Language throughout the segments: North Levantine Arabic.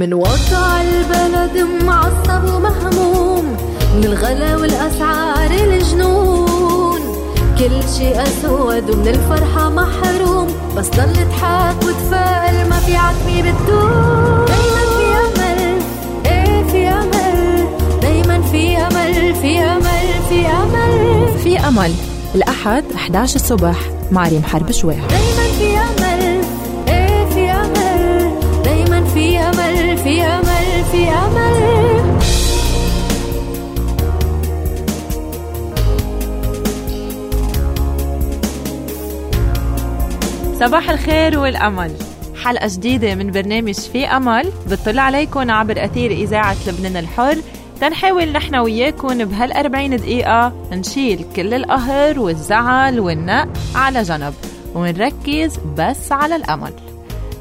من وضع البلد معصب ومهموم، من الغلا والأسعار الجنون، كل شيء أسود ومن الفرحة محروم، بس ضل اضحك وتفائل، ما في عتمة بتدوم. دايما في أمل، ايه في أمل، دايما في أمل، في أمل، في أمل، في أمل. الأحد 11 الصبح مع ريم حرب شويح. دايما في أمل، ايه في أمل، دايما في أمل، في أمل، في أمل. صباح الخير والأمل. حلقة جديدة من برنامج في أمل بتطلع عليكم عبر أثير إذاعة لبنان الحر، تنحاول نحن وياكم بهال40 دقيقة نشيل كل القهر والزعل والنق على جنب ونركز بس على الأمل.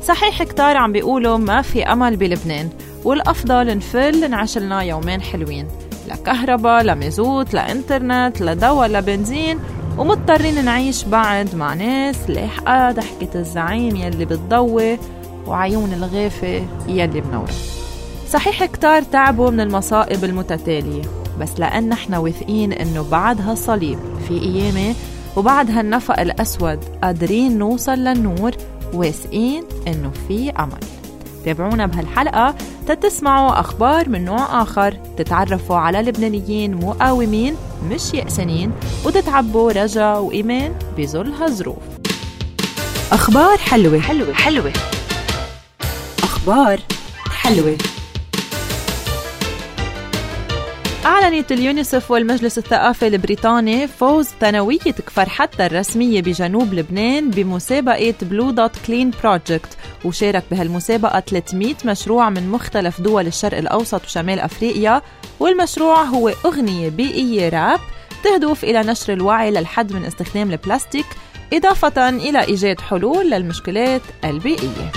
صحيح كتار عم بيقولوا ما في أمل بلبنان، والأفضل نفل نعيشلنا يومين حلوين، لا كهرباء لا مازوت لا انترنت لا دواء لا بنزين، ومضطرين نعيش بعد مع ناس لاحقة ضحكة الزعيم يلي بتضوي وعيون الغافة يلي بنورة. صحيح كتار تعبوا من المصائب المتتالية، بس لأن احنا واثقين انه بعد هالصليب في قيامة وبعد هالنفق الأسود قادرين نوصل للنور، واثقين انه في أمل. تابعونا بهالحلقة تتسمعوا أخبار من نوع آخر، تتعرفوا على لبنانيين مقاومين مش يأسانين، وتتعبوا رجا وإيمان بظل هالظروف. أخبار حلوة حلوة حلوة، أخبار حلوة. أعلنت اليونيسف والمجلس الثقافي البريطاني فوز ثانوية كفر حتى الرسمية بجنوب لبنان بمسابقة بلو دوت كلين بروجكت، وشارك بهالمسابقة 300 مشروع من مختلف دول الشرق الأوسط وشمال أفريقيا، والمشروع هو أغنية بيئية راب تهدف إلى نشر الوعي للحد من استخدام البلاستيك، إضافة إلى إيجاد حلول للمشكلات البيئية.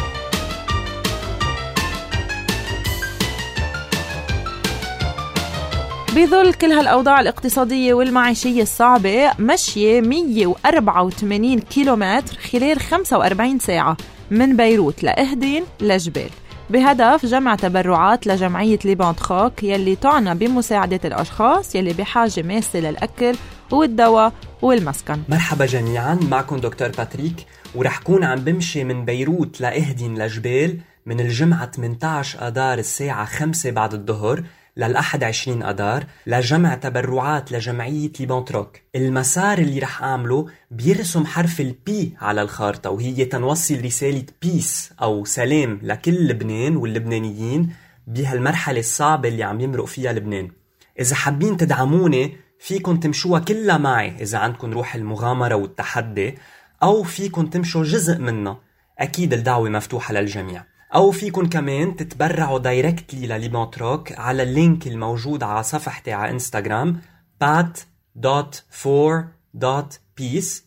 بظل كل هالأوضاع الاقتصادية والمعيشية الصعبة، مشي 184 كيلومتر خلال 45 ساعة من بيروت لأهدين لجبال، بهدف جمع تبرعات لجمعية ليبانتخوك يلي تعنى بمساعدة الأشخاص يلي بحاجة ماسة للأكل والدواء والمسكن. مرحبا جميعا، معكم دكتور باتريك، ورح كون عم بمشي من بيروت لأهدين لجبال من الجمعة 18 أدار الساعة 5 بعد الظهر للأحد 20 أدار لجمع تبرعات لجمعية ليبانتروك. المسار اللي رح أعمله بيرسم حرف البي على الخارطة، وهي تنوصل رسالة بيس أو سلام لكل لبنان واللبنانيين بهالمرحلة الصعبة اللي عم يمرق فيها لبنان. إذا حابين تدعموني فيكن تمشوها كلها معي إذا عندكن روح المغامرة والتحدي، أو فيكن تمشوا جزء منها، أكيد الدعوة مفتوحة للجميع. أو فيكن كمان تتبرعوا دايركتلي لليبانتروك على اللينك الموجود على صفحتي على انستغرام pat.for.peace.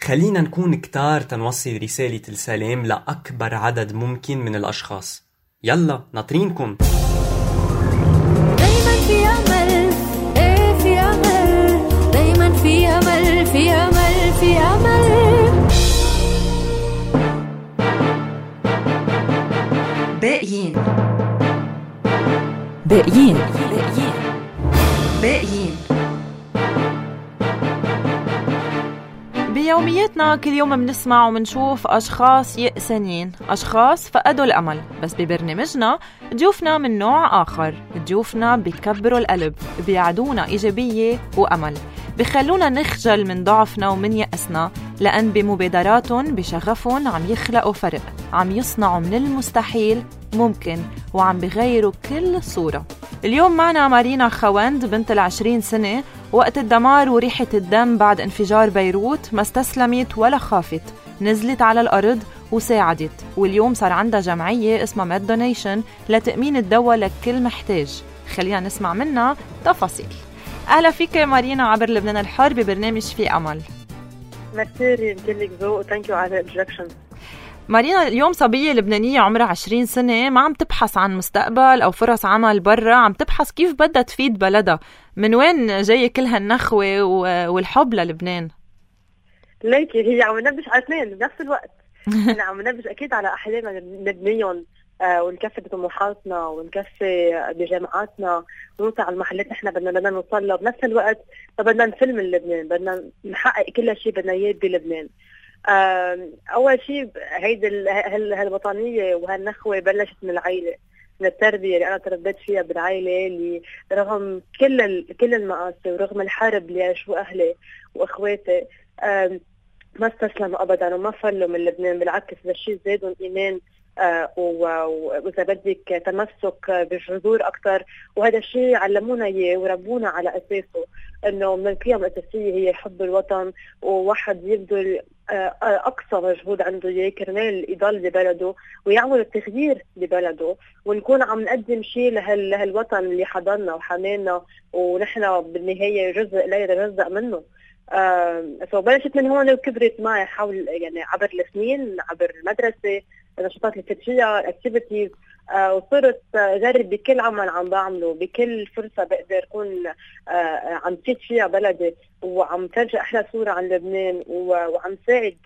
خلينا نكون كتار تنوصل رسالة السلام لأكبر عدد ممكن من الأشخاص. يلا ناطرينكم. دايما في أمل، ايه في أمل، دايما في أمل، في أمل، في أمل. باقيين باقيين باقيين باقيين. بيومياتنا كل يوم منسمع ومنشوف أشخاص يأسانين، أشخاص فقدوا الأمل، بس ببرنامجنا ضيوفنا من نوع آخر، ضيوفنا بيكبروا القلب، بيعدونا إيجابية وأمل، بيخلونا نخجل من ضعفنا ومن يأسنا، لأن بمبادراتهم بشغفهم عم يخلقوا فرق، عم يصنعوا من المستحيل ممكن، وعم بيغيروا كل الصورة. اليوم معنا مارينا خوند بنت 20 سنة، وقت الدمار وريحة الدم بعد انفجار بيروت ما استسلمت ولا خافت، نزلت على الأرض وساعدت، واليوم صار عندها جمعية اسمها ميد دونيشن لتأمين الدواء لكل محتاج. خلينا نسمع منها تفاصيل. أهلا فيك مارينا عبر لبنان الحر ببرنامج في أمل. ميرسي لك ذوق، ثانك يو على الانترودكشن. مارينا، اليوم صبية لبنانية عمرها 20 سنة ما عم تبحث عن مستقبل أو فرص عمل برا، عم تبحث كيف بدها تفيد بلدها. من وين جاية كل هالنخوة والحب للبنان؟ ليكي هي عم ننبش على اثنين بنفس الوقت. احنا عم ننبش اكيد على احلامنا نبنيهم ونكفي بطموحاتنا ونكفي بجامعاتنا ونوصل على المحلات نحن بدنا نوصل. بنفس الوقت بدنا نفل من لبنان، بدنا نحقق كل شيء بدنا اياه بلبنان. اول شيء هيدي هالوطنيه وهالنخوه بلشت من العائله، من التربيه اللي انا تربيت فيها بالعائله، اللي رغم كل المآسي ورغم الحرب اللي عاشوا اهلي واخواتي ما استسلموا ابدا وما فلوا من لبنان. بالعكس هذا الشيء زادهم ايمان واذا بدك تمسك بالجذور اكثر، وهذا الشيء علمونا اياه وربونا على اساسه، انه من القيم الاساسيه هي حب الوطن، وواحد يبذل اقصى مجهود عنده اياه كرمال يضل ببلده ويعمل التغيير ببلده، ونكون عم نقدم شيء لهالوطن اللي حضرنا وحمانا، ونحن بالنهايه جزء لا يتجزأ منه. فبلشت من هون وكبرت معي حول يعني عبر السنين، عبر المدرسه، النشاطات اللي كنت فيها، الاكتيفيتيز، وصرت اجرب بكل عمل عم بعمله، بكل فرصه بقدر اكون عم فيد فيها بلدي وعم ترجع احلى صوره عن لبنان وعم ساعد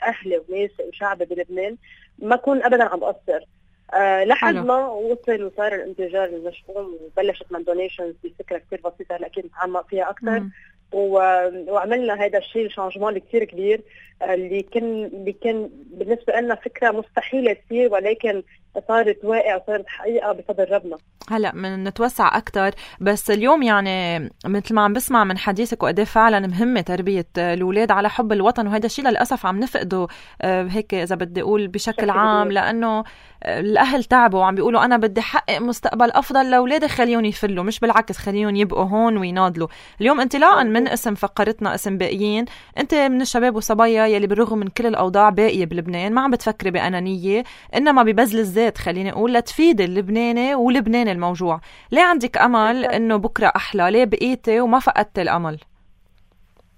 اهلي وناسي وشعبي بلبنان، ما اكون ابدا عم بقصر. لحد ما وصل وصار الانفجار المشؤوم وبلشت من دونيشنز بفكره كثير بسيطه هلا اكيد نتعمق فيها اكثر. وعملنا هذا الشيء الشانجمان الكثير كبير اللي كان بالنسبه لنا فكره مستحيله تصير، ولكن صارت واقع وصارت حقيقه بفضل ربنا. هلا من نتوسع اكثر، بس اليوم يعني مثل ما عم بسمع من حديثك وقد فعلا مهمه تربيه الاولاد على حب الوطن، وهذا الشيء للاسف عم نفقده هيك اذا بدي اقول بشكل عام، لانه الاهل تعبوا وعم بيقولوا انا بدي احقق مستقبل افضل لاولادي، خليهم يفلوا، مش بالعكس خليهم يبقوا هون ويناضلوا. اليوم انطلاقا من اسم فقرتنا اسم باقيين، انت من الشباب والصبايا يلي بالرغم من كل الاوضاع باقيه بلبنان ما عم بتفكري بانانيه، انما ببذل الذات خليني اقول لتفيد اللبناني ولبنان الموجوع. ليه عندك امل انه بكره احلى؟ ليه بقيتي وما فقدت الامل؟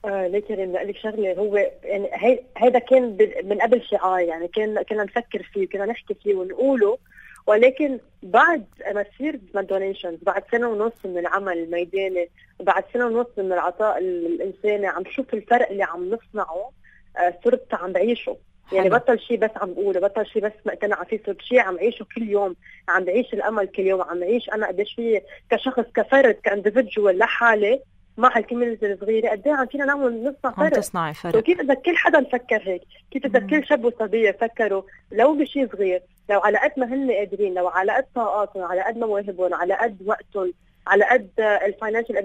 ليه كريم بدي اقول لك شغله، هو يعني هذا كان من قبل شعار، يعني كنا نفكر فيه، كنا نحكي فيه ونقوله، ولكن بعد ما تصير دونيشنز، بعد سنه ونص من العمل الميداني، بعد سنه ونص من العطاء الانساني، عم شوف الفرق اللي عم نصنعه، صرت عم بعيشه. يعني بطل شيء بس عم بقوله، بطل شيء بس مقتنعه فيه، صرت شيء عم عيشه كل يوم، عم بعيش الامل كل يوم، عم عيش انا قديش فيه كشخص كفرد كانديفيدجوال لحالي مع الكوميونتي الصغيره، قد ايه عم فينا نعمل نصنع فرق، تصنعي فرق. وكيف اذا كل حدا فكر هيك، كيف اذا كل شاب وصبيه فكروا لو بشيء صغير، لو على قد ما هن قادرين، لو على قد طاقاتهم، على قد مواهبهم، على قد وقتهم، على قد الفاينانشال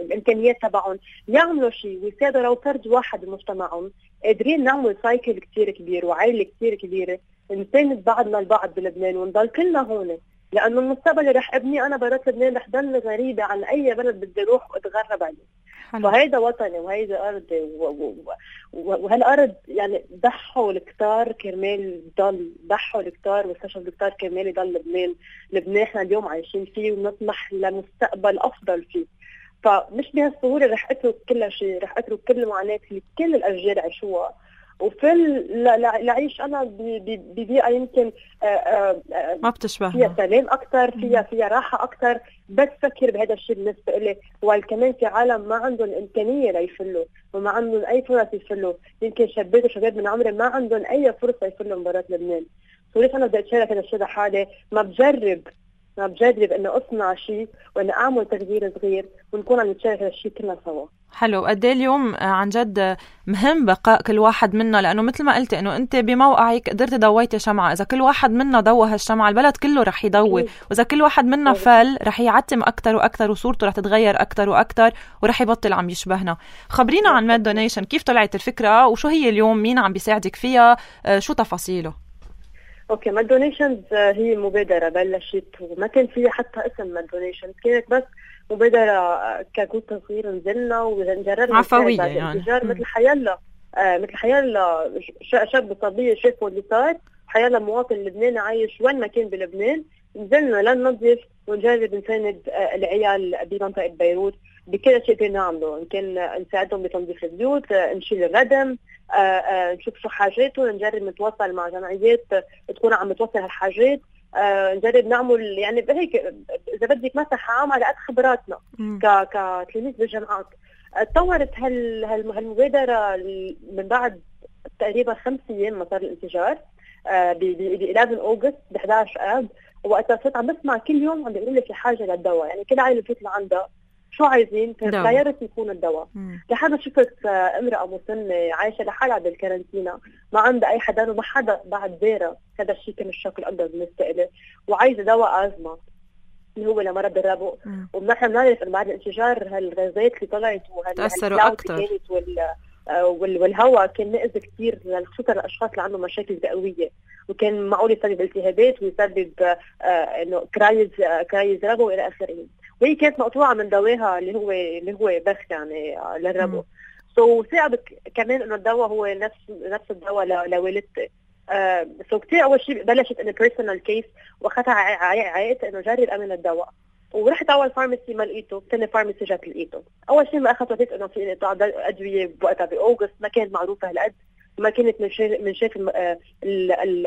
الامكانيات تبعهم، يعملوا شيء ويساعدوا لو فرد واحد بمجتمعهم، قادرين نعمل سايكل كثير كبير وعائله كثير كبيره، نساند بعضنا البعض بلبنان ونضل كلنا هون، لانه المستقبل اللي رح ابني انا برات لبنان رح ضل غريبه عن اي بلد بدي اروح واتغرب عليه. فهيدا وطني وهيدا ارضي وهالارض يعني ضحوا الكتار كرمال ضل، ضحوا الكتار واستشهدوا الكتار كرمال يضل لبنان احنا اليوم عايشين فيه ونطمح لمستقبل افضل فيه. فمش بهالسهوله رح اترك كل شيء، رح اترك كل المعاناه اللي كل الاجيال عاشوها، وفي لعيش انا ببيئه يمكن ما بتشبهنا، فيها سلام اكثر، فيها راحه اكثر، بس فكر بهذا الشيء بالنسبه لي. وكمان في عالم ما عندهم امكانيه ليفلوا وما عندهم اي فرص يفلوا، يمكن شابات وشباب من عمري ما عندهم اي فرصه يفلوا من برات لبنان. وليش انا بدي اتشارك هذا الشيء لحالي؟ ما بجرب انه اصنع شيء وانه اعمل تغيير صغير ونكون عم نتشارك هذا الشيء كلنا سوا. حلو. قد ايه اليوم عن جد مهم بقاء كل واحد منا، لانه مثل ما قلت انه انت بموقعك قدرت ضويتي شمعه، اذا كل واحد منا ضوى هالشمعه البلد كله رح يضوي، واذا كل واحد منا فل رح يعتم اكثر واكثر وصورته رح تتغير اكثر واكثر ورح يبطل عم يشبهنا. خبرينا عن ماد دونيشن، كيف طلعت الفكره وشو هي اليوم، مين عم بيساعدك فيها، شو تفاصيله؟ اوكي، ماد دونيشنز هي مبادره بلشت وما كان فيها حتى اسم ماد دونيشنز، كانت بس مبادره كجروب صغير نزلنا ونجرب عفويه يعني مثل حيالله شاب صبيه شافوا اللي صار، حيالله مواطن لبناني عايش وين ما كان بلبنان، نزلنا لننظف ونجرب نساند العيال بمنطقه بيروت بكل شيء كنا نعمله، إن كان نساعدهم بتنظيف البيوت، نشيل الردم، نشوف شو حاجاتهم، نجرب نتواصل مع جمعيات تكون عم توصل هالحاجات، نجرب نعمل يعني هيك اذا بدك مسح عام على قد خبراتنا كتلاميذ بالجامعات. تطورت هالمبادره من بعد تقريبا 5 أيام ما صار الانفجار، ب 11 أغسطس ب 11 آب، وقتها صرت عم بسمع كل يوم عم بيقولوا لي في حاجة للدواء، يعني كل عائلة بتطلع لعندها شو عايزين برايورتي يكون الدواء. لحد شفت امرأة مسنة عايشة لحالها بالكارنتينا، ما عندها أي حدا وما حدا بعد زيرة، هذا الشيء كان الشوك الأكبر بالنسبة لي، وعايزة دواء أزمة اللي هو لمرض الربو. ونحن بنعرف إنه بعد الانفجار هالغازات اللي طلعت تأثروا أكتر، والهواء كان مأذي كثير خصوصا الأشخاص اللي عندهم مشاكل رئوية، وكان معقول يسبب التهابات ويسبب إنه كرايز ربو إلى آخره. وهي كانت مقطوعة من دواها اللي هو بخ يعني للربو. ثاقبت كمان إنه الدواء هو نفس الدواء لوالدتي. كتير أول شيء بلشت إنه personal case، وأخذها عائلت إنه جرب أمن الدواء، ورحت أول فارماسي ما لقيته، ثاني فارماسي جات لقيته. أول شيء ما أخذت وقت إنه في انقطاع أدوية بوقتها بأوغست، ما كانت معروفة هالقد، وما كانت من شاف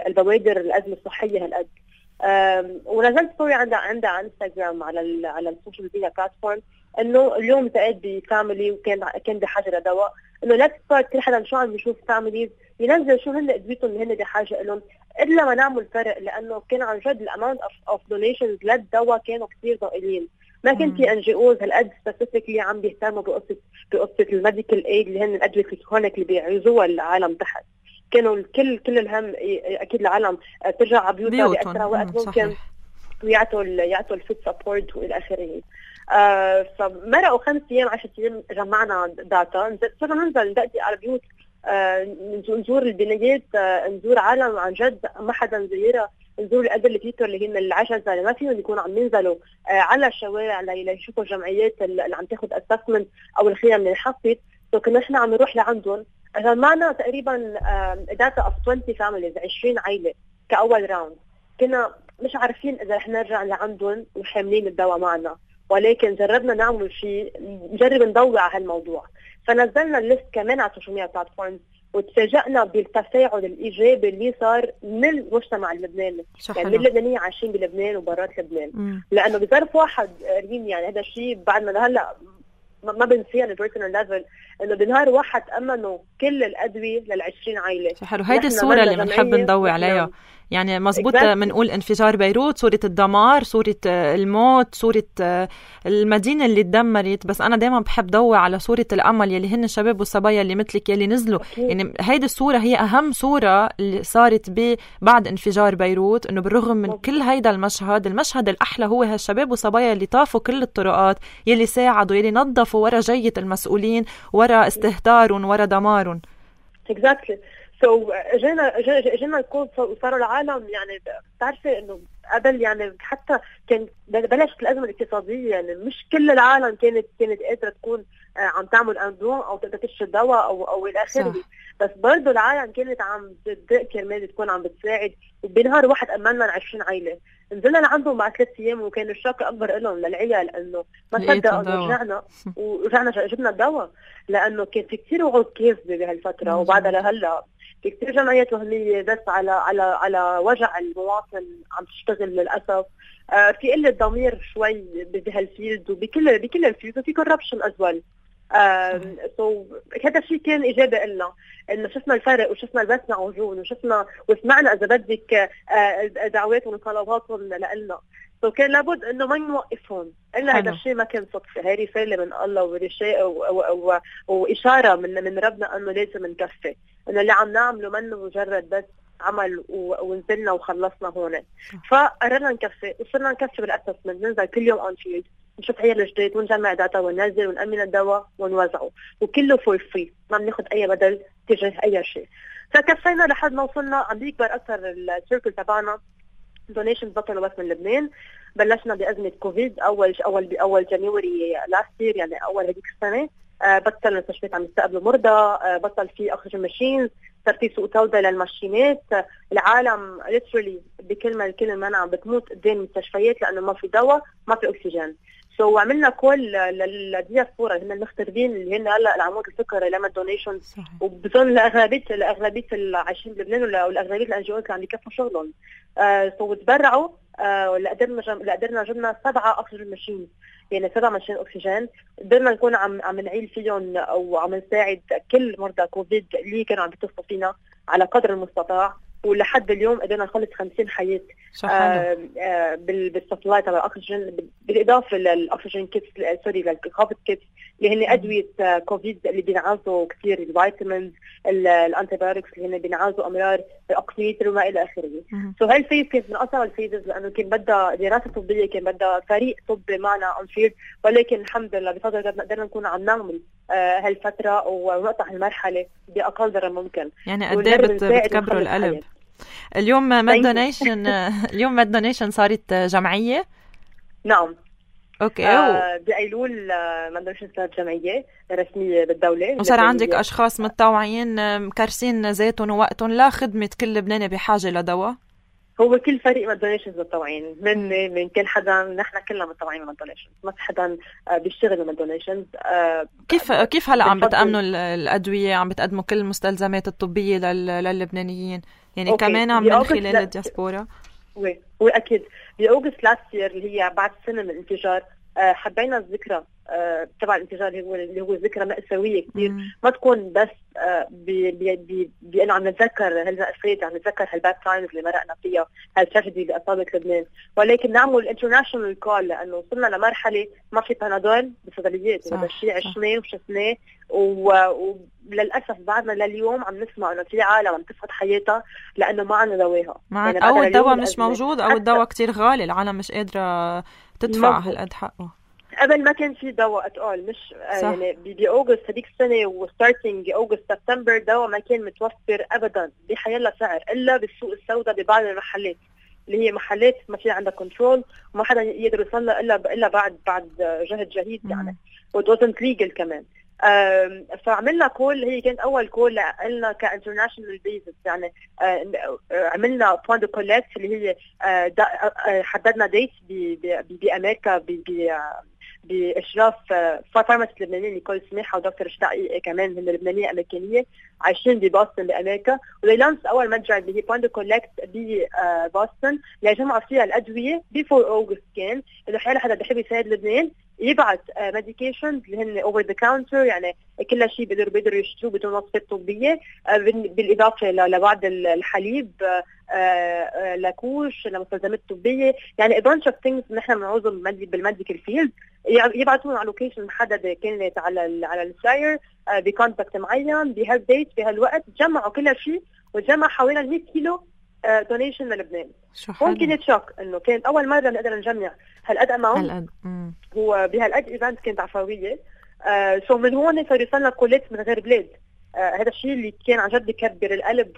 البوادر الأزمة الصحية هالقد. ونزلت ستوري عندها على انستغرام على السوشيال ميديا بلاتفورم انه اليوم التقيت بفاميلي وكان بحاجه لدواء، انه لا تصير كل حدا شو عم بيشوف فاميليز ينزل شو هن ادويتهم اللي هن بحاجه لهم، الا ما نعمل فرق، لانه كان عن جد الاماونت اوف دونيشنز للدواء كانوا كثير ضئيلين. ما كان في ان جي اوز هالقد سبيسيفيكلي عم بيهتموا بقصه الميديكال ايد اللي هن الادويه الكرونيك اللي بيعزوها العالم تحت. كانوا كل الهم اكيد العالم ترجع على بيوتها بأسرع وقت ممكن، ويعطوا الفوت سبورت والى اخره. فمرقوا 5 أيام 10 أيام جمعنا داتا، صرنا ننزل ندقدق على البيوت، نزور البنايات، نزور عالم عن جد ما حدا نزيرها، نزور الأدر الكيتور اللي هن العجزة اللي ما فيهم يكونوا عم ينزلوا على الشوارع ليشوفوا الجمعيات اللي عم تاخد اسسمنت او الخيام من الحصيد. كنا احنا عم نروح لعندهم، جمعنا تقريبا داتا اوف 20 فاميليز، 20 عائله كاول راوند. كنا مش عارفين اذا رح نرجع لعندهم وحاملين الدواء معنا، ولكن جربنا نعمل شيء، نجرب نضوي على هالموضوع. فنزلنا الليست كمان على السوشيال ميديا بلاتفورمز، وتفاجئنا بالتفاعل الايجابي اللي صار من المجتمع اللبناني، يعني من اللبنانيين عايشين بلبنان وبرات لبنان. لانه بظرف واحد ريم، يعني هذا الشيء بعد ما هلا ما بنسيه على البيرسونال ليفل، انه بنهار واحد امنوا كل الادويه لل20 عائله. حلو، هيدي الصوره اللي بنحب نضوي عليها. يعني مزبوط بنقول انفجار بيروت، صورة الدمار، صورة الموت، صورة المدينة اللي تدمرت، بس أنا دايما بحب ضوي على صورة الأمل يلي هن الشباب والصبايا اللي مثلك يلي نزلوا. يعني هيدي الصورة هي أهم صورة اللي صارت بعد انفجار بيروت، إنه بالرغم من كل هيدا المشهد الأحلى هو هالشباب والصبايا اللي طافوا كل الطرقات، يلي ساعدوا، يلي نظفوا ورا جية المسؤولين، ورا استهتارهم، ورا دمارهم. Exactly. اجينا الكود وصاروا العالم، يعني بتعرفي انه قبل يعني حتى كان بلشت الازمه الاقتصاديه، يعني مش كل العالم كانت قادره تكون عم تعمل اندوم او تقدر تشتري دواء او الى اخره، بس برضه العالم كانت عم تدق كرمال تكون عم بتساعد. وبنهار واحد امنا 20 عائله، نزلنا لعندهم بعد 3 أيام، وكان الشوك اكبر لهم للعيال انه ما صدقوا، ورجعنا جبنا الدواء، لانه كان في كثير وعود كاذبه بهالفتره. وبعدها لهلا في كثير جمعيات وهميه بس على وجع المواطن عم تشتغل للاسف. في قله ضمير شوي بهالفيلد وبكل الفيلد، وفي كوربشن ازول. هذا الشيء كان إجابة لنا، إنه شفنا الفرق وشفنا البسمة عجون وشفنا وسمعنا إذا بدك دعواتهم وطلباتهم لنا. كان لابد إنه ما نوقفهم إلا هذا الشيء ما كان صدفة، هاي رسالة من الله ورشاء وإشارة من ربنا إنه لازم نكفي، إنه اللي عم نعمله منه مجرد بس عمل ونزلنا وخلصنا هون. فقررنا نكفي، وصرنا نكفي بالأسسمنت، ننزل كل يوم أون فيلد، نشوف عيال الجديد ونجمع داتا وننزل ونأمن الدواء ونوزعه، وكله فور فري، ما بناخد أي بدل تجاه أي شيء. فكفينا لحد ما وصلنا عم بيكبر أكثر السيركل تبعنا، دونيشن بطلوا بس من لبنان. بلشنا بأزمة كوفيد أول جانيوري لاست يير، يعني أول هذيك السنة. بطل المستشفيات عم يستقبلوا مرضى، بطل في أكسجين ماشينز، صار في سوق توضع للماشينات. العالم literally بكلمة عم بتموت قدام المستشفيات لأنه ما في دواء، ما في أكسجين. عملنا كل للدياسبورا، هن المغتربين اللي هن هلا العمود الفكري لما الدونيشن، وبظن الأغلبية اللي عايشين بلبنان والأغلبية الأنجيوات اللي عم يكفوا شغلهم. تبرعوا قدرنا جبنا 7 أكسجين ماشين، يعني 7 ماشين أكسجين، قدرنا نكون عم نعيل فيهم أو عم نساعد كل مرضى كوفيد اللي كانوا عم بيتصلوا فينا على قدر المستطاع. ولحد اليوم قدرنا نخلص 50 حياة بالسبلاي تبع الأكسجين، بالإضافة للأكسجين كيتس للكوفيد كيتس اللي هن أدوية كوفيد اللي بينعالجوا كثير، الفيتامينز، الأنتيبيوتكس اللي هن بينعالجوا أمراض الأقصيتر وما إلى آخره. هاي الفيز كانت من أصعب الفيزز لأنه كان بدها دراسة طبية، كان بدها فريق طبي معنا أنفير، ولكن الحمد لله بفضل ربنا قدرنا نكون عم نعمل هالفترة ونقطع المرحلة بأقل ضرر ممكن. يعني قد ايه بتكبروا القلب. اليوم ماد دونيشن اليوم ماد دونيشن صارت جمعية؟ نعم. اوكي. بأيلول ماد دونيشن صارت جمعية رسمية بالدولة، وصار عندك أشخاص متطوعين مكرسين ذاتهم ووقتهم لا خدمة كل لبناني بحاجة لدواء؟ هو كل فريق ماد دونيشنز متطوعين، من كل حدا، نحن كلنا متطوعين ماد دونيشنز، ما في حدا بيشتغل ماد دونيشنز. كيف هلا عم بتأمنوا الأدوية، عم بتقدموا كل المستلزمات الطبية للبنانيين يعني كمان من خلال الدياسبورا؟ وأكيد بأوغست لاست يير اللي هي بعد سنة من الانفجار حبينا الذكرى تبع الانفجار اللي هو ذكرى مأساوية كثير، ما تكون بس بأنه عم نتذكر هالمأساة، عم نتذكر هالباد تايمز اللي مرقنا فيها، هالتراجيدي اللي أصابت لبنان، ولكن نعمل انترناشونال كول لأنه وصلنا لمرحلة ما في بنادول بالصيدليات، هذا الشيء عشناه وشفناه، وللأسف بعدنا لليوم عم نسمع إنه في عالم عم تفقد حياتها لأنه ما عندنا دواها، يعني أو الدواء مش موجود أو الدواء كتير غالي، العالم مش قادرة تدفع هالقد حقه. قبل ما كان في دواء اتقال، مش يعني بأوغست هذيك السنة وستارتنج أوغست سبتمبر دواء ما كان متوفر أبدا بحيالله سعر إلا بالسوق السوداء ببعض المحلات اللي هي محلات ما في عندها كنترول وما حدا يقدر يوصلها إلا بعد جهد جهيد يعني، وتوزنت ليجل كمان. فعملنا كول، هي كانت أول كول لنا كانترناشونال بيزس، يعني عملنا بوان دو كولكت اللي هي حددنا ديت بأمريكا بإشراف فارماسيست لبنانية نيكول سماحة ودكتور شتاقي كمان هن لبنانية أمريكانية عايشين ببوسطن بأمريكا، وليلانس أول متجر اللي هي بوان دو كولكت ببوسطن لجمعوا فيها الأدوية بفور أوغست، كان إنه حيالا حدا بيحب يساعد لبنان يبعت ميديكيشنز اللي هن اوفر ذا كاونتر، يعني كل شيء بيقدروا يشتروه بدون وصفات طبيه، بالاضافه لبعض الحليب، لاكوش، لمستلزمات طبيه، يعني بانش اوف ثينجز نحن بنعوزهم بالميديكال فيلد، يبعثون على لوكيشن محدده كانت على الفلاير بكونتاكت معين بهالديت بهالوقت، جمعوا كل شيء وجمع حوالي 100 كيلو دونيشن للبنان. هون كانت شوك انه كانت اول مره نقدر نجمع هالقد اماونت، هو بهالقد ايفنت كانت عفويه، سو من هون صار يوصلنا كولات من غير بلاد. هذا الشيء اللي كان عن جد يكبر القلب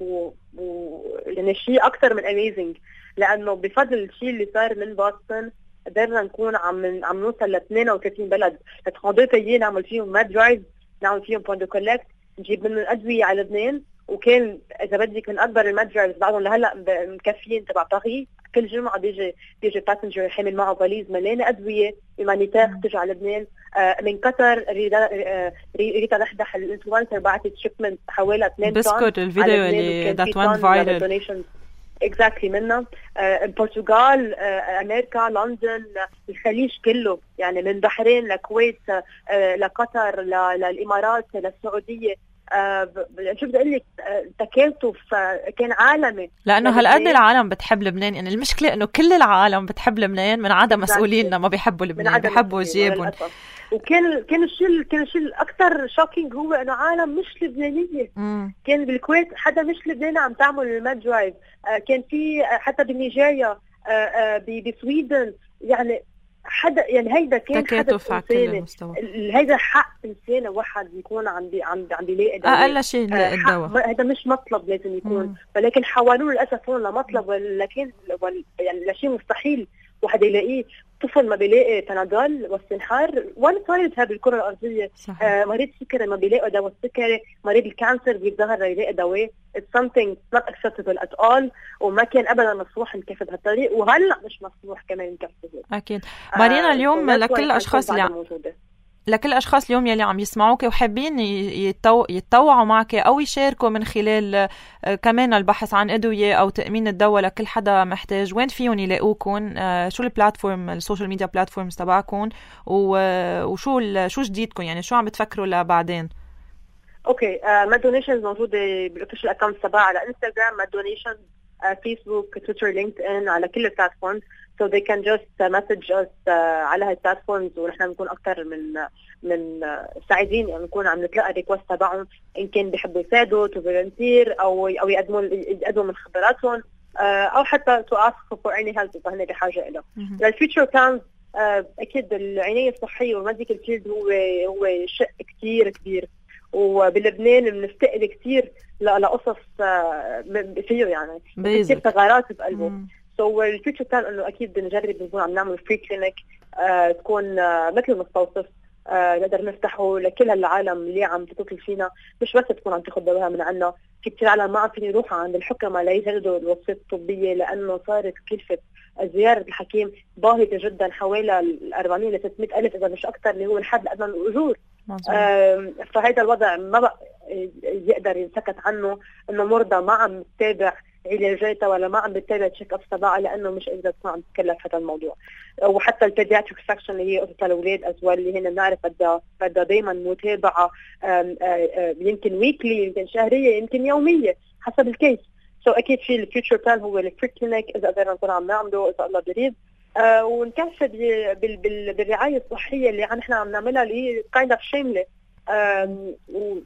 يعني شيء اكثر من اميزنج، لانه بفضل الشيء اللي صار من بوسطن قدرنا نكون عم نوصل ل 32 بلد، لتخاطر نعمل فيهم ماد درايف، نعمل فيهم بوان دو كولكت، نجيب منهم ادويه على لبنان، وكان اذا بدك من اكبر المتجرز بعضهم لهلا مكفيين تبع باريس، كل جمعه بيجي باسنجر حامل معه فاليز مليانه ادويه هيومانيتير تجي على لبنان. من قطر ريتا دحدح الانفلونسر بعثت شيبمنت حوالي 2 طن بسكوت الفيديو اللي ذات وان فايرال اكزاكتلي منا. البرتغال، امريكا، لندن، الخليج كله، يعني من بحرين لكويت لقطر للامارات للسعوديه. شو بدي اقول لك، تكاتف كان عالمي، لانه هالقد العالم بتحب لبنان. يعني المشكله انه كل العالم بتحب لبنان من عدا مسؤوليننا ما بيحبوا لبنان، بيحبوا جيبهم. وكان الشيء الاكثر شوكينج هو انه عالم مش لبنانيه. كان بالكويت حدا مش لبناني عم تعمل الماد درايف، كان في حتى بنيجيريا، بسويدن، يعني حدا، يعني هيدا كان حدث إنساني، هيدا حق إنساني واحد يكون عم بيلاقي دواء، أقل شيء يلاقي الدواء، هذا مش مطلب لازم يكون، ولكن حولوه للأسف هون لمطلب، ولكن يعني لشيء مستحيل واحد يلاقيه. طفل ما بيلاقي بنادول واستنحار، ولا صارتها بالكرة الأرضية. مريض السكري ما بيلاقي دواء السكري، مريض الكانسر بيتظاهر يلاقي دواء. It's something not acceptable at all، وما كان أبدا مسموح نكفي بهالطريق، وهلأ مش مسموح كمان نكفي. أكيد. مارينا، اليوم لكل الأشخاص لكل الأشخاص اليوم يلي عم يسمعوك وحابين يتطوعوا معك أو يشاركوا من خلال كمان البحث عن أدوية أو تأمين الدواء لكل حدا محتاج، وين فيهم يلاقوكم؟ شو البلاتفورم، السوشيال ميديا بلاتفورمز تبعكم، وشو جديدكم؟ يعني شو عم بتفكروا لبعدين؟ اوكي. ماد دونيشنز موجوده بالاوفيشال اكونت تبعها على انستغرام، ماد دونيشنز، فيسبوك، تويتر، لينكدين، على كل البلاتفورمز. So they can just message us على هالبلاتفورمز، ونحن بنكون اكثر من سعيدين يعني نكون عم نتلقى ريكوست تبعهم ان كان بيحبوا يساعدوا تو فولنتير او يقدموا من خبراتهم، او حتى to ask for any help اذا هن بحاجه له. للفيوتشر بلانز اكيد العنايه الصحيه والميديكال فيلد هو شق كثير كبير، وبلبنان بنفتقد كثير لقصص فيه يعني كثير ثغرات بقلبه. سو الفيوتشر بلان انه اكيد نجرب نكون عم نعمل فري كلينيك تكون مثل مستوصف نقدر نفتحه لكل هالعالم اللي عم تتصل فينا، مش بس تكون عم تاخذ دواها من عنا. في كثير عالم ما عم فيني يروحوا عند الحكماء ليجدوا الوصفات الطبيه لانه صارت كلفه زياره الحكيم باهظه جدا، حوالي 400 ل 600 الف اذا مش اكثر، اللي هو الحد الادنى للاجور. فهذا الوضع ما بقى يقدر ينسكت عنه، انه مرضى ما عم تتابع علاجاتها ولا ما عم بتتابع تشيك اب تبعها لانه مش قادره تكون عم تتكلف هذا الموضوع. وحتى البيدياتريك سكشن اللي هي قصه الاولاد ازوال اللي هنا بنعرف بدها دائما متابعه، يمكن ويكلي، يمكن شهريه، يمكن يوميه حسب الكيس. اكيد في الفيوتشر بلان هو الفري كلينيك اذا قدرنا نكون عم نعمله اذا الله بريد، ونكفي بالرعايه الصحيه اللي نحن عم نعملها اللي هي كايند اوف شامله.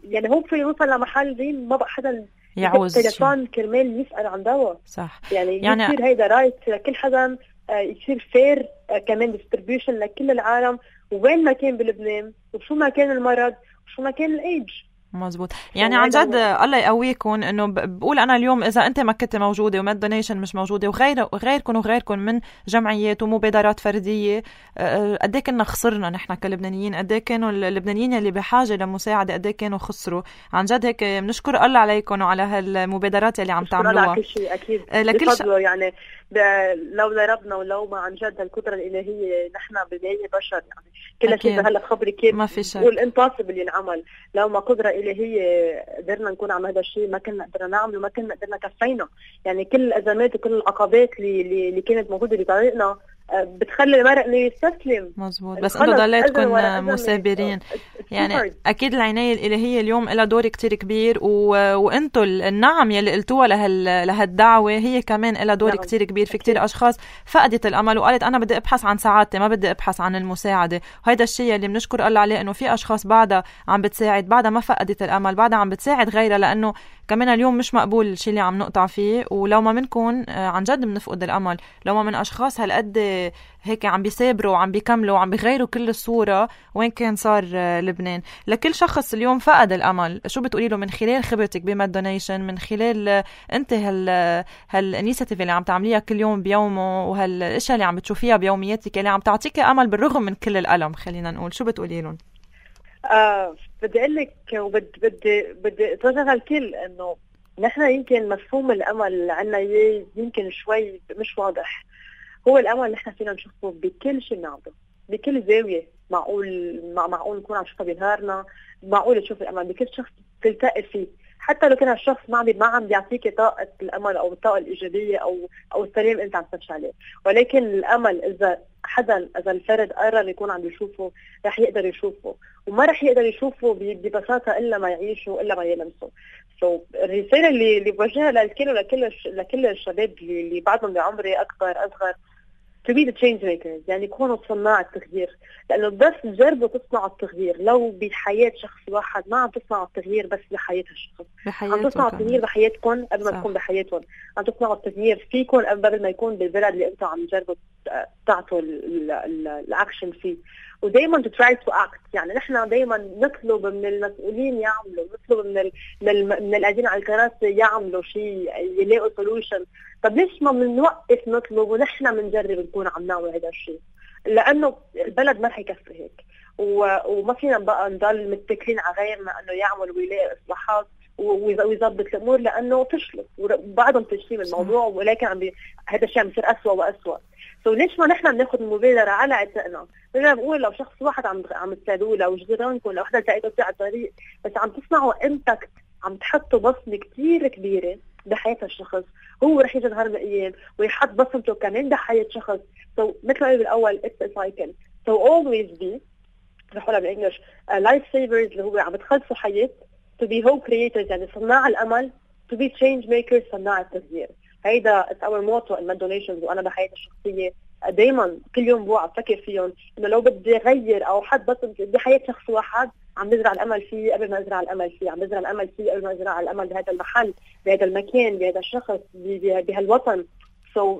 يعني هو في نوصل لمحل زين ما بقى حدا يعوز تليفون كرمال يسأل عن دواء. صح. يعني يصير هيدا رايت لكل حدا، يصير فير كمان ديستريبيوشن لكل العالم وين ما كان بلبنان وشو ما كان المرض وشو ما كان الايدج. مزبوط. يعني عن جد الله يقويكم. انه بقول انا اليوم اذا انت ما كنت موجوده وماد دونيشن مش موجوده وغيركم من جمعيات ومبادرات فرديه، قد ايه كنا خسرنا نحن كلبنانيين، قد ايه كانوا اللبنانيين اللي بحاجه لمساعده قد ايه كانوا خسروا. عن جد هيك بنشكر الله عليكم وعلى هالمبادرات اللي عم تعملوها. كل شيء اكيد بفضله. يعني لو ربنا ولو ما عن جد القدره الالهيه، نحن بالنهايه بشر يعني كل شيء هلا خبري كيف والانتصاب اللي انعمل، لو ما قدره الهيه قدرنا نكون عم هذا الشيء ما كنا قدرنا نعمله، ما كنا قدرنا كفينا. يعني كل الازمات وكل العقبات اللي كانت موجوده بطريقنا بتخلي المرء انه يستسلم. مزبوط. بس انتم ضليتكم مثابرين. يعني اكيد العنايه الالهيه اليوم لها دور كتير كبير، وانتم النعم يلي قلتوها لهالدعوه هي كمان لها دور كتير كبير. في كتير اشخاص فقدت الامل وقالت انا بدي ابحث عن سعادتي، ما بدي ابحث عن المساعده، وهذا الشيء اللي بنشكر الله عليه انه في اشخاص بعدها عم بتساعد، بعدها ما فقدت الامل، بعدها عم بتساعد غيرها، لانه كمان اليوم مش مقبول الشيء اللي عم نقطع فيه. ولو ما منكم عن جد بنفقد الامل، لو ما من اشخاص هالقد هيك عم بيسابروا وعم بيكملوا وعم بيغيروا كل الصورة وين كان صار لبنان. لكل شخص اليوم فقد الأمل شو بتقولي له من خلال خبرتك بماد دونيشن، من خلال انت هالانيشيتيف اللي عم تعمليها كل يوم بيومه وهالاشياء اللي عم بتشوفيها بيومياتك اللي عم تعطيك أمل بالرغم من كل الألم، خلينا نقول، شو بتقولي لهم؟ بدي اقول لك بدي اتوجه الكل انه نحن يمكن مفهوم الامل عنا يمكن شوي مش واضح. هو الامل اللي نحن فينا نشوفه بكل شيء بنعمله، بكل زاويه. معقول نكون عم نشوفها بنهارنا، معقول تشوف الامل بكل شخص تلتقي فيه، حتى لو كان الشخص ما عم بيعطيك طاقه الامل او الطاقه الايجابيه او السلام انت عم تمشي عليه. ولكن الامل اذا الفرد قرر يكون عم يشوفه رح يقدر يشوفه، وما رح يقدر يشوفه ببساطه الا ما يعيشه والا ما يلمسه. الرساله اللي بوجهها للكل ولكل الشباب اللي بعضهم بعمري اكبر اصغر، to be the change makers، يعني يكونوا صناع التغيير. لانه بس جربوا تصنعوا التغيير، لو بحياه شخص واحد ما عم تصنعوا التغيير بس بحياه الشخص، عم تصنعوا التغيير بحياتكم قبل ما تكون بحياتهم، عم تصنعوا التغيير فيكم قبل ما يكون بالبلد اللي انتم عم تجربوا تعطوا الاكشن فيه. ودايما to try to act، يعني نحن دايما نطلب من المسؤولين يعملوا، نطلب من القاعدين على الكراسي يعملوا شيء، يلاقوا solution. طب ليش ما بنوقف نطلب ونحن بنجرب نكون عم نعمل هذا الشيء؟ لانه البلد ما رح يكفي هيك، وما فينا بقى نضل متكلين على غيرنا انه يعمل ويلاقي اصلاحات ويظبط الامور، لانه فشلوا وبعضهم فاشلين الموضوع، ولكن هذا الشيء عم يصير اسوء واسوء. ليش ما نحن بناخذ المبادره على عاتقنا؟ بدنا نقول لو شخص واحد عم تساعدوه، لو جيرانكم، لو وحده لقيتوا على الطريق، بس عم تصنعوا امباكت، عم تحطوا بصمه كثير كبيره بحياه الشخص، هو رح يجي نهار من الايام ويحط بصمته كمان بحياه شخص. مثل ما قلت بالاول it's a cycle. always be، رح اقولها بالانجلش، لايف سيفرز اللي هو عم تخلصوا حياه to be hope creators يعني صناع الأمل to be change makers صناع التغيير. هيدا it's our motto in Med Donations. وأنا بحياتي الشخصية دايما كل يوم بوعى أفكر فيهم إنه لو بدي أغير أو حد بس بحياة شخص واحد عم بزرع الأمل فيه قبل ما أزرع الأمل فيه، عم بزرع الأمل فيه قبل ما أزرع الأمل بهذا المحل بهذا المكان بهذا الشخص بهالوطن.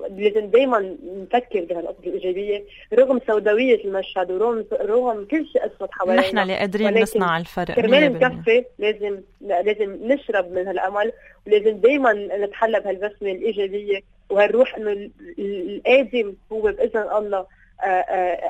لازم دايما نفكر بهالقصة الإيجابية رغم سوداوية المشهد ورغم كل شيء أسود حوالينا. نحن اللي قادرين نصنع الفرق. كرمال نكفي لازم نشرب من هالأمل ولازم دايما نتحلى بهالبسمة الإيجابية وهالروح إنه القادم هو بإذن الله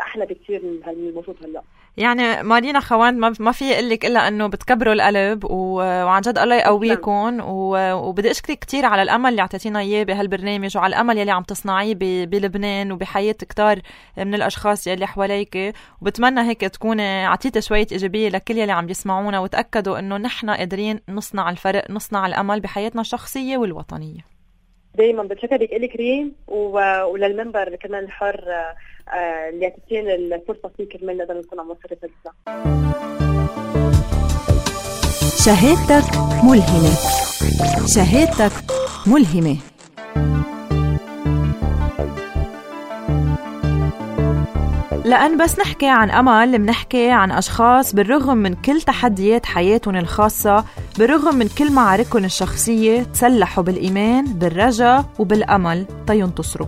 أحلى بكثير من الموجود هلا. يعني مارينا خوان ما في يقلك إلا أنه بتكبروا القلب وعن جد الله يقويكم وبدي أشكرك كتير على الأمل اللي عطيتينا إياه بهالبرنامج وعلى الأمل يلي عم تصنعيه بلبنان وبحياة كتار من الأشخاص يلي حواليك، وبتمنى هيك تكون عطيت شوية إيجابية لكل يلي عم يسمعونا وتأكدوا أنه نحن قادرين نصنع الفرق نصنع الأمل بحياتنا الشخصية والوطنية. دايما بتشكرك إلي كريم وللمنبر كمان الحر اللي عطيتينا الفرصة فيه كرمال نقدر نكون عم نوصل رسالتنا. شهادتك ملهمة. شهادتك ملهمة. لأن بس نحكي عن أمل منحكي عن أشخاص بالرغم من كل تحديات حياتهم الخاصة بالرغم من كل معاركهم الشخصية تسلحوا بالإيمان بالرجاء وبالأمل تينتصروا.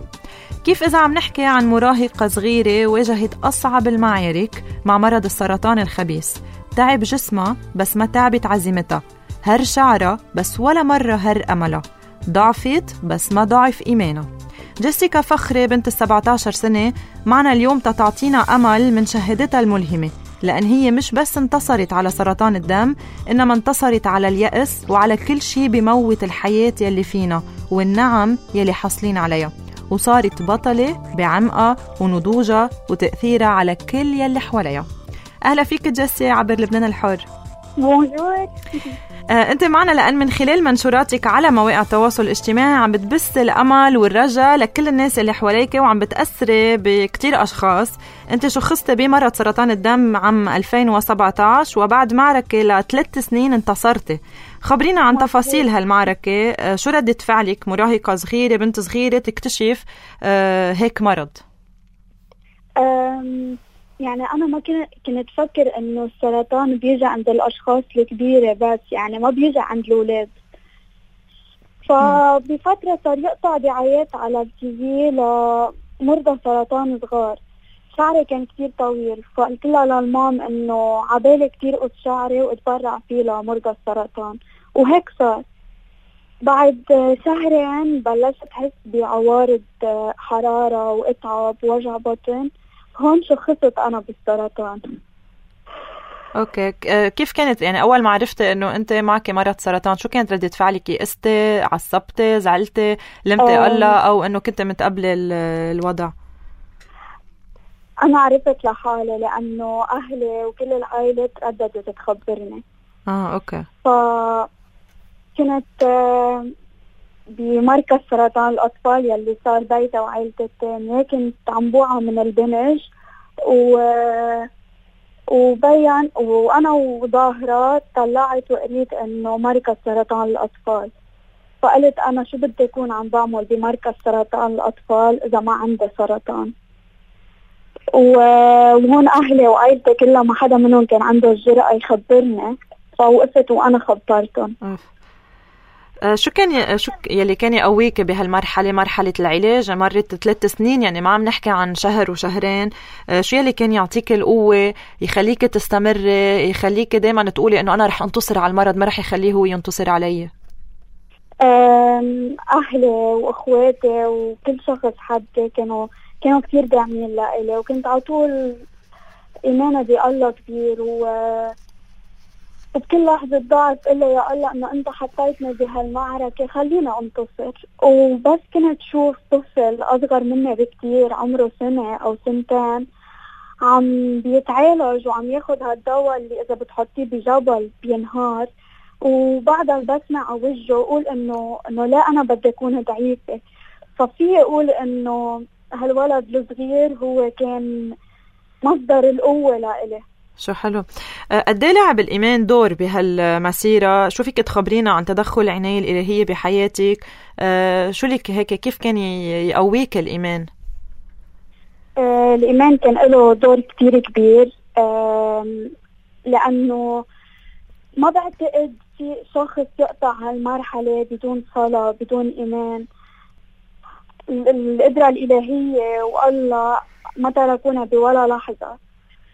كيف إذا عم نحكي عن مراهقة صغيرة واجهت أصعب المعارك مع مرض السرطان الخبيث، تعب جسمها بس ما تعبت عزيمتها، هر شعرها بس ولا مرة هر أملها، ضعفت بس ما ضعف إيمانها. جيسيكا فخري بنت 17 سنة معنا اليوم تعطينا أمل من شهادتها الملهمة، لأن هي مش بس انتصرت على سرطان الدم إنما انتصرت على اليأس وعلى كل شيء بموت الحياة يلي فينا والنعم يلي حصلين عليها، وصارت بطلة بعمقها ونضوجها وتأثيرها على كل يلي حواليها. أهلا فيك جيسي عبر لبنان الحر. بونجور. أنت معنا لأن من خلال منشوراتك على مواقع التواصل الاجتماعي عم بتبث الأمل والرجاء لكل الناس اللي حواليك وعم بتأثري بكتير أشخاص. أنت شخصت بمرض سرطان الدم عام 2017 وبعد معركة ل3 سنين انتصرتي. خبرينا عن تفاصيل هالمعركة، شو ردة فعلك مراهقة صغيرة بنت صغيرة تكتشف هيك مرض؟ يعني أنا ما كنت فكر إنه السرطان بيجي عند الأشخاص الكبيرة بس، يعني ما بيجي عند الأولاد. فبفترة صار يقطع دعايات على التيفي لمرضى سرطان صغار. شعري كان كتير طويل فقلت لها للمام إنه عبالي كتير قص شعري واتبرع فيه لمرضى السرطان، وهيك صار. بعد شهرين بلشت أحس بعوارض حرارة وإتعاب ووجع بطن، هون شخصت أنا بالسرطان. أوكي، كيف كانت يعني أول ما عرفتي إنه أنت معك مرض سرطان؟ شو كانت ردة فعلك؟ يئستي، عصبتي، زعلتي، لمتي الله، أو إنه كنت متقبلة الوضع؟ أنا عرفت لحالي لأنه أهلي وكل العائلة ترددت تخبرني. أوكي. فكنت بمركز سرطان الأطفال يلي صار بيتي وعائلتي التانية، كنت عم بوعى من البنج وبين وأنا وظاهرة طلعت وقريت إنه مركز سرطان الأطفال. فقلت أنا شو بدي أكون عم بعمل بمركز سرطان الأطفال إذا ما عندي سرطان. وهون أهلي وعائلتي كلها ما حدا منهم كان عنده الجرأة يخبرني، فوقفت وأنا خبرتهم. شو يلي كان يقويك بهالمرحلة، مرحلة العلاج؟ مرت 3 سنين، يعني ما عم نحكي عن شهر وشهرين. شو يلي كان يعطيك القوة يخليك تستمري، يخليك دايما تقولي انه انا رح انتصر على المرض، ما رح يخليه هو ينتصر علي؟ اهلي واخواتي وكل شخص حدي كانوا كتير داعمين لإلي، وكنت على طول ايماني بالله كبير، وبكل لحظة ضعف إلا يا الله إنه أنت حطيتني بهالمعركة خلينا أنتصر. وبس كنت شوف طفل أصغر مني بكتير عمره 1 سنة أو 2 سنين عم بيتعالج وعم ياخد هالدواء اللي إذا بتحطيه بجبل بينهار، وبعدها بسمع على وجهه أقول إنه لا أنا بدي أكون ضعيفة. ففي أقول إنه هالولد الصغير هو كان مصدر القوة لإلي، شو حلو. قد ايه لعب الإيمان دور بهالمسيرة؟ شو فيك تخبرينا عن تدخل العناية الإلهية بحياتك؟ شو لك هيك، كيف كان يقويك الإيمان؟ الإيمان كان له دور كتير كبير، لأنه ما بعتقد في شخص يقطع هالمرحلة بدون صلاة بدون إيمان. القدرة الإلهية والله ما تركونا بولا لحظة.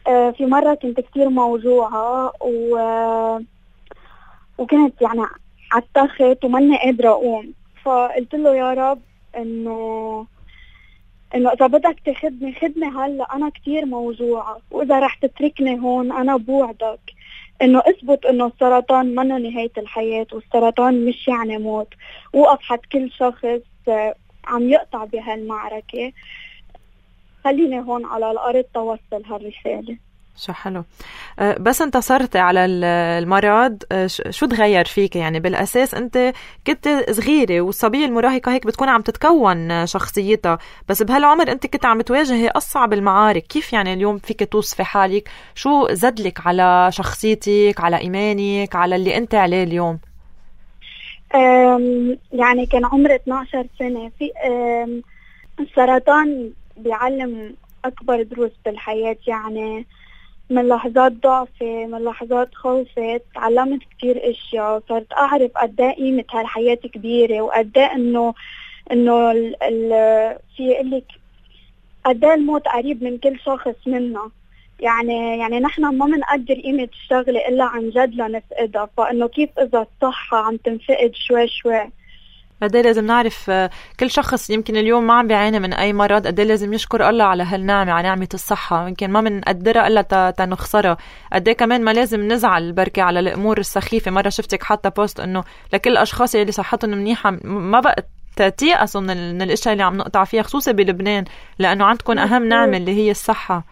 في مرة كنت كتير موجوعة وكنت يعني عالتخت وماني قادرة أقوم، فقلت له يا رب إنه إذا بدك تاخدني خدني هلا، أنا كتير موجوعة، وإذا رح تتركني هون أنا بوعدك إنه اثبت إنه السرطان منه نهاية الحياة، والسرطان مش يعني موت. وقف حد كل شخص عم يقطع بهالمعركة، خليني هون على الأرض توصل هالرسالة. شو حلو. بس انتصرتي على المرض، شو تغير فيك؟ يعني بالأساس أنت كنت صغيرة، والصبية المراهقة هيك بتكون عم تتكون شخصيتها، بس بهالعمر أنت كنت عم تواجهي أصعب المعارك. كيف يعني اليوم فيك توصفي حالك؟ شو زدلك على شخصيتك، على إيمانك، على اللي أنت عليه اليوم؟ يعني كان عمري 12 سنة. في السرطان بيعلم أكبر دروس بالحياة. يعني من لحظات ضعفي، من لحظات خوفي، تعلمت كتير اشياء. صرت اعرف قد ايه قيمة هالحياة كبيرة، وقد ايه انه في يقلك قد ايه الموت قريب من كل شخص منا. يعني نحن ما منقدر قيمة الشغلة الا عن جد لنفقدها. فانه كيف اذا الصحة عم تنفقد شوي شوي. قديه لازم نعرف كل شخص يمكن اليوم ما عم بيعاني من أي مرض، قديه لازم يشكر الله على هالنعمة، على نعمة الصحة. يمكن ما منقدرها إلا تنخسرها. قديه كمان ما لازم نزعل بركة على الأمور السخيفة. مرة شفتك حتى بوست إنه لكل الأشخاص اللي صحتهم منيحة ما بقت تيأسوا من الأشياء اللي عم نقطع فيها، خصوصا بلبنان، لأنه عندكم أهم نعمة اللي هي الصحة.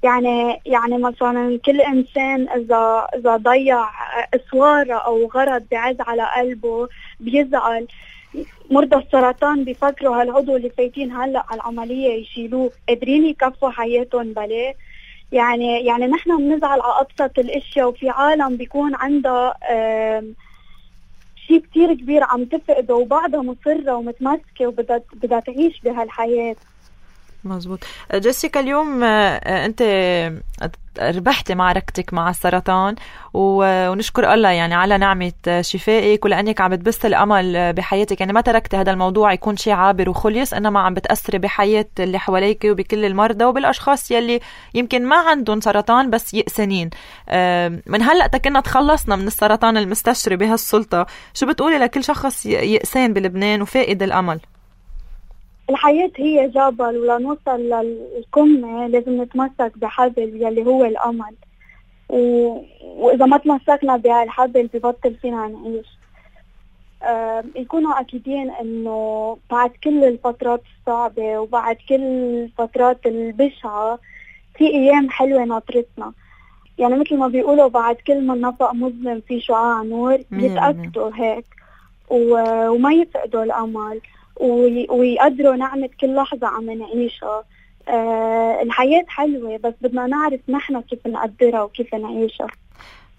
يعني مثلا كل إنسان إذا ضيع إسوارة أو غرض بعز على قلبه بيزعل. مرضى السرطان بيفكروا هالعضو اللي فايتين هلأ على العملية يشيلوه، قادرين يكفوا حياتهم بلاه. يعني نحن بنزعل على أبسط الأشياء، وفي عالم بيكون عندها شيء كتير كبير عم تفقده، وبعدها مصرة ومتمسكة وبدها تعيش بهالحياة. مزبوط. جيسيكا، اليوم أنت ربحتي معركتك مع السرطان، ونشكر الله يعني على نعمة شفائك، ولأنك عم بتبث الأمل بحياتك. يعني ما تركتي هذا الموضوع يكون شيء عابر وخلص، إنما عم بتأثري بحياة اللي حواليك وبكل المرضى وبالأشخاص يلي يمكن ما عندهم سرطان بس يأسنين. من هلأ كنا تخلصنا من السرطان المستشري بهالسلطة. شو بتقولي لكل شخص يأسان بلبنان وفائد الأمل؟ الحياة هي جبل، ولنوصل للقمة لازم نتمسك بحبل يلي هو الأمل. وإذا ما تمسكنا بهالحبل ببطل فينا نعيش. يكونوا أكيدين إنه بعد كل الفترات الصعبة وبعد كل الفترات البشعة في أيام حلوة ناطرتنا. يعني مثل ما بيقولوا بعد كل ما نفق مظلم في شعاع نور. يتأكدوا هيك وما يفقدوا الأمل، ويقدروا نعمة كل لحظة عم نعيشها. الحياة حلوة، بس بدنا نعرف نحن كيف نقدرها وكيف نعيشها.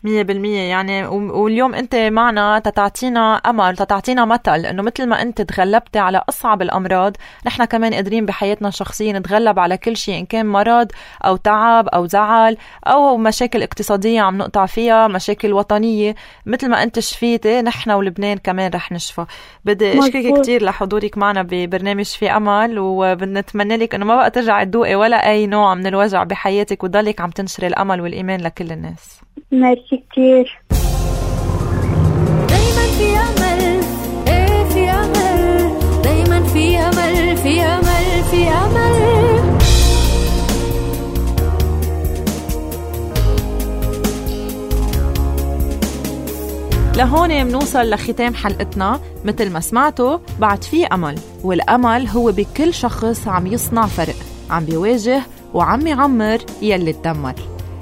100%. يعني واليوم أنت معنا تتعطينا أمل، تتعطينا مثل إنه مثل ما أنت تغلبت على أصعب الأمراض، نحن كمان قادرين بحياتنا الشخصية نتغلب على كل شيء، إن كان مرض أو تعب أو زعل أو مشاكل اقتصادية عم نقطع فيها، مشاكل وطنية. مثل ما أنت شفيتي نحن ولبنان كمان رح نشفى. بدي أشكرك كتير لحضورك معنا ببرنامج في أمل، وبنتمنى لك إنه ما بقى ترجع تدوقي ولا أي نوع من الوجع بحياتك، وتضلك عم تنشري الأمل والإيمان لكل الناس. ميرسي كتير. دايما في أمل، إيه في أمل، دايما في أمل، في أمل، في أمل. لهون منوصل لختام حلقتنا. مثل ما سمعتوا بعد في أمل، والأمل هو بكل شخص عم يصنع فرق، عم بيواجه وعم يعمر يلي تدمر.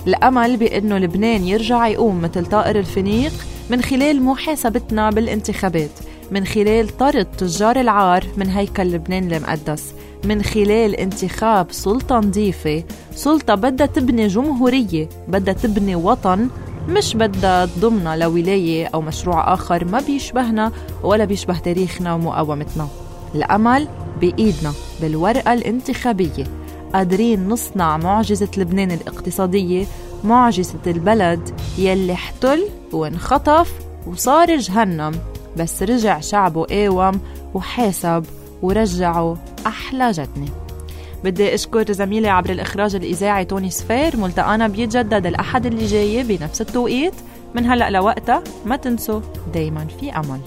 الأمل بأنه لبنان يرجع يقوم مثل طائر الفينيق من خلال محاسبتنا بالانتخابات، من خلال طرد تجار العار من هيكل لبنان المقدس، من خلال انتخاب سلطة نظيفة، سلطة بدها تبني جمهورية، بدها تبني وطن، مش بدها تضمنا لولاية أو مشروع آخر ما بيشبهنا ولا بيشبه تاريخنا ومقاومتنا. الأمل بإيدنا بالورقة الانتخابية، قادرين نصنع معجزة لبنان الاقتصادية، معجزة البلد يلي احتل وانخطف وصار جهنم، بس رجع شعبه قاوم وحاسب ورجعوا أحلى جدني. بدي أشكر زميلي عبر الإخراج الإذاعي توني سفير. ملتقانا بيتجدد الأحد اللي جاي بنفس التوقيت. من هلأ لوقتها ما تنسوا دايما في أمل.